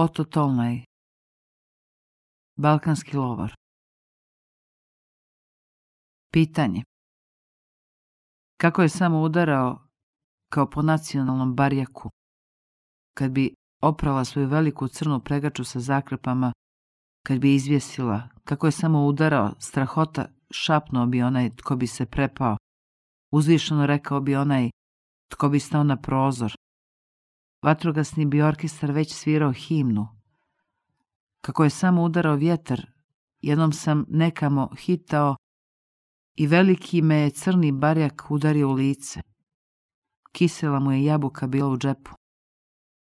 Oto Tolnaj, balkanski lovar. Pitanje. Kako je samo udarao kao po nacionalnom barjaku, kad bi oprala svoju veliku crnu pregaču sa zakrpama, kad bi izvjesila, kako je samo udarao, strahota šapnuo bi onaj tko bi se prepao, uzvišeno rekao bi onaj tko bi stao na prozor. Vatrogasni bi orkestar već svirao himnu. Kako je samo udarao vjetar, jednom sam nekamo hitao i veliki me je crni barjak udario u lice. Kisela mu je jabuka bila u džepu.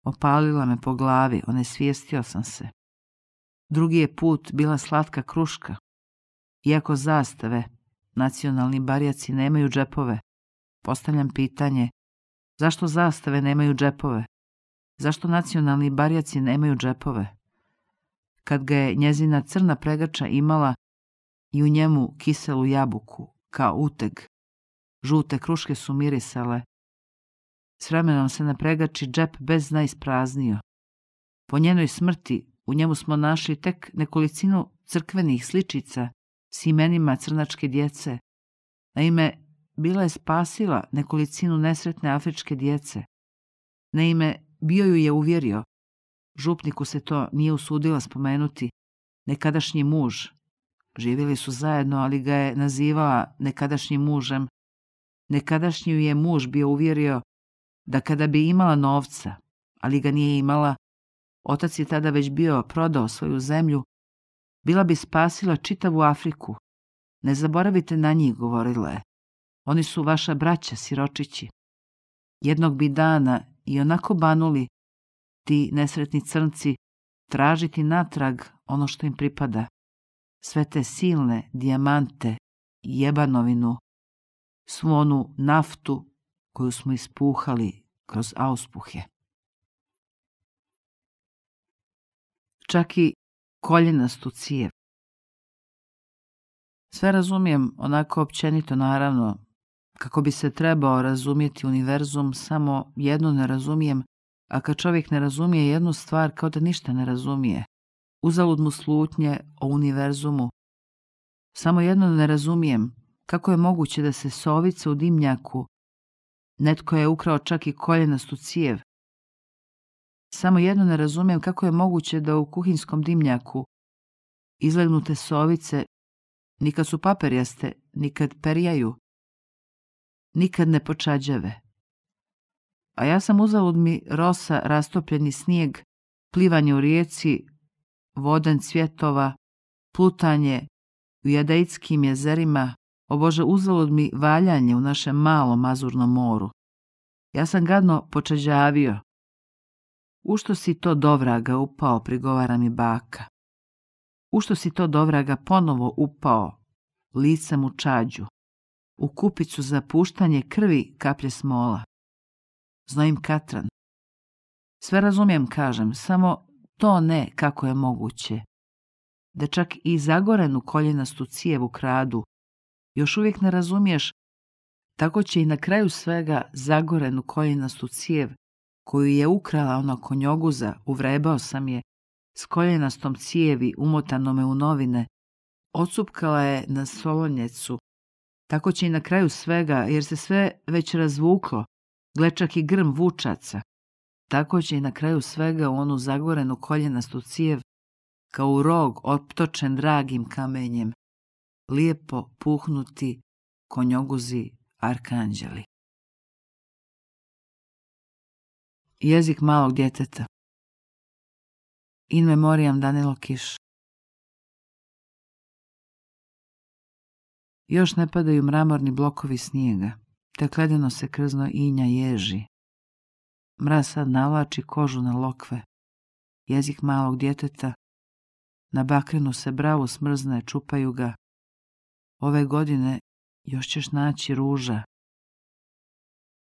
Opalila me po glavi, onesvijestio sam se. Drugi je put bila slatka kruška. Iako zastave, nacionalni barjaci nemaju džepove, postavljam pitanje, zašto zastave nemaju džepove? Zašto nacionalni barjaci nemaju džepove? Kad ga je njezina crna pregača imala i u njemu kiselu jabuku, kao uteg, žute kruške su mirisale. S vremenom se na pregači džep bez dna ispraznio. Po njenoj smrti u njemu smo našli tek nekolicinu crkvenih sličica s imenima crnačke djece. Naime, bila je spasila nekolicinu nesretne afričke djece. Naime, bio ju je uvjerio, župniku se to nije usudila spomenuti, nekadašnji muž. Živjeli su zajedno, ali ga je nazivala nekadašnjim mužem. Nekadašnji ju je muž bio uvjerio da kada bi imala novca, ali ga nije imala, otac je tada već bio prodao svoju zemlju, bila bi spasila čitavu Afriku. Ne zaboravite na njih, govorila je. Oni su vaša braća, siročići. Jednog bi dana i onako banuli, ti nesretni crnci, tražiti natrag ono što im pripada. Sve te silne dijamante, jebanovinu, svu onu naftu koju smo ispuhali kroz auspuhe. Čak i koljenastu cijev. Sve razumijem onako općenito, naravno, kako bi se trebao razumjeti univerzum, samo jedno ne razumijem, a kad čovjek ne razumije jednu stvar, kao da ništa ne razumije. Uzalud mu slutnje o univerzumu. Samo jedno ne razumijem, kako je moguće da se sovica u dimnjaku, netko je ukrao čak i koljenastu cijev. Samo jedno ne razumijem kako je moguće da u kuhinskom dimnjaku izlegnute sovice nikad su paperjaste, nikad perjaju, nikad ne počađave. A ja sam uzalud mi rosa, rastopljeni snijeg, plivanje u rijeci, voden cvjetova, plutanje u jadejskim jezerima, o Bože, uzalud mi valjanje u našem malom azurnom moru. Ja sam gadno počađavio. U što si to dovraga upao, prigovara mi baka. U što si to dovraga ponovo upao, licem u čađu, u kupicu za puštanje krvi kaplje smola. Znojim katran. Sve razumijem, kažem, samo to ne kako je moguće. Da čak i zagorenu koljenastu cijevu kradu, još uvijek ne razumiješ, tako će i na kraju svega zagorenu koljenastu cijev, koju je ukrala ona konjoguza, uvrebao sam je, s koljenastom cijevi umotanome u novine, ocupkala je na solonjecu, tako će i na kraju svega, jer se sve već razvuklo, gle čak i grm vučaca, tako će i na kraju svega u onu zagorenu koljenastu cijev, kao u rog optočen dragim kamenjem, lijepo puhnuti konjoguzi arkanđeli. Jezik malog djeteta. In memoriam Danilo Kiš. Još ne padaju mramorni blokovi snijega, tek ledeno se krzno inja ježi. Mraz sad navlači kožu na lokve. Jezik malog djeteta. Na bakrenu se bravo smrzne, čupaju ga. Ove godine još ćeš naći ruža.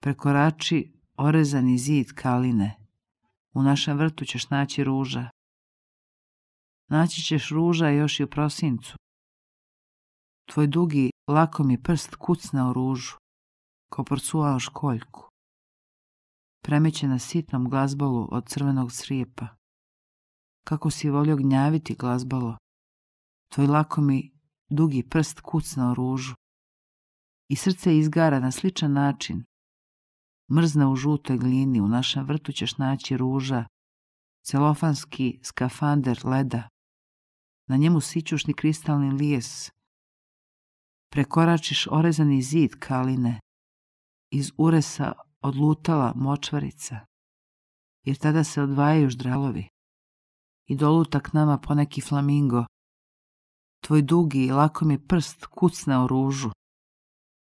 Prekorači orezani zid kaline. U našem vrtu ćeš naći ruža. Naći ćeš ruža još i u prosincu. Tvoj dugi, lakomi prst kucnao ružu, ko porcuao školjku. Premeće na sitnom glazbolu od crvenog crijepa. kako si je volio gnjaviti glazbalo. Tvoj lakomi dugi prst kucnao ružu i srce izgara na sličan način. Mrzne u žutoj glini, u našem vrtu ćeš naći ruža, celofanski skafander leda, na njemu sićušni kristalni lijes. Prekoračiš orezani zid kaline, iz uresa odlutala močvarica, jer tada se odvajaju ždralovi i doluta k nama poneki flamingo. Tvoj dugi i lakomi prst kucne o ružu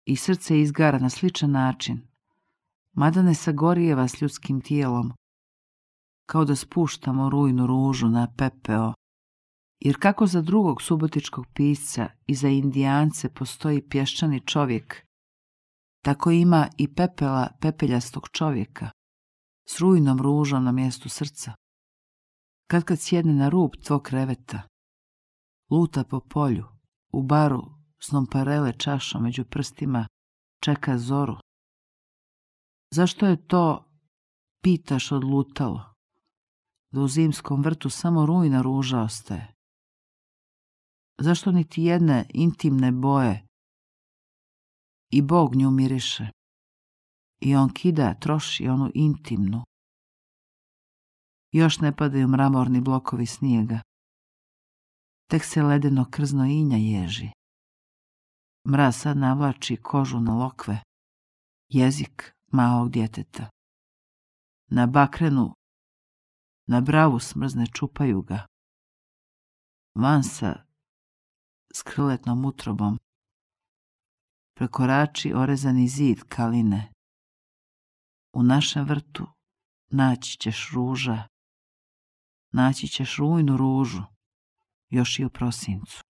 i srce izgara na sličan način, mada ne sagorijeva s ljudskim tijelom, kao da spuštamo rujnu ružu na pepeo. Jer kako za drugog subotičkog pisca i za Indijance postoji pješčani čovjek, tako ima i pepela pepeljastog čovjeka s rujnom ružom na mjestu srca. Kad sjedne na rub tvog kreveta, luta po polju, u baru s nonparele čašom među prstima, čeka zoru. Zašto je to, pitaš, odlutalo, da u zimskom vrtu samo rujna ruža ostaje? Zašto niti jedne intimne boje i Bog nju miriše i on kida, troši onu intimnu? Još ne padaju mramorni blokovi snijega, tek se ledeno krzno inja ježi. Mraz sad navlači kožu na lokve, jezik malog djeteta. Na bakrenu, na bravu smrzne čupaju ga. Vansa s krletnom utrobom prekorači orezani zid kaline. U našem vrtu naći ćeš ruža, naći ćeš rujnu ružu, još i u prosincu.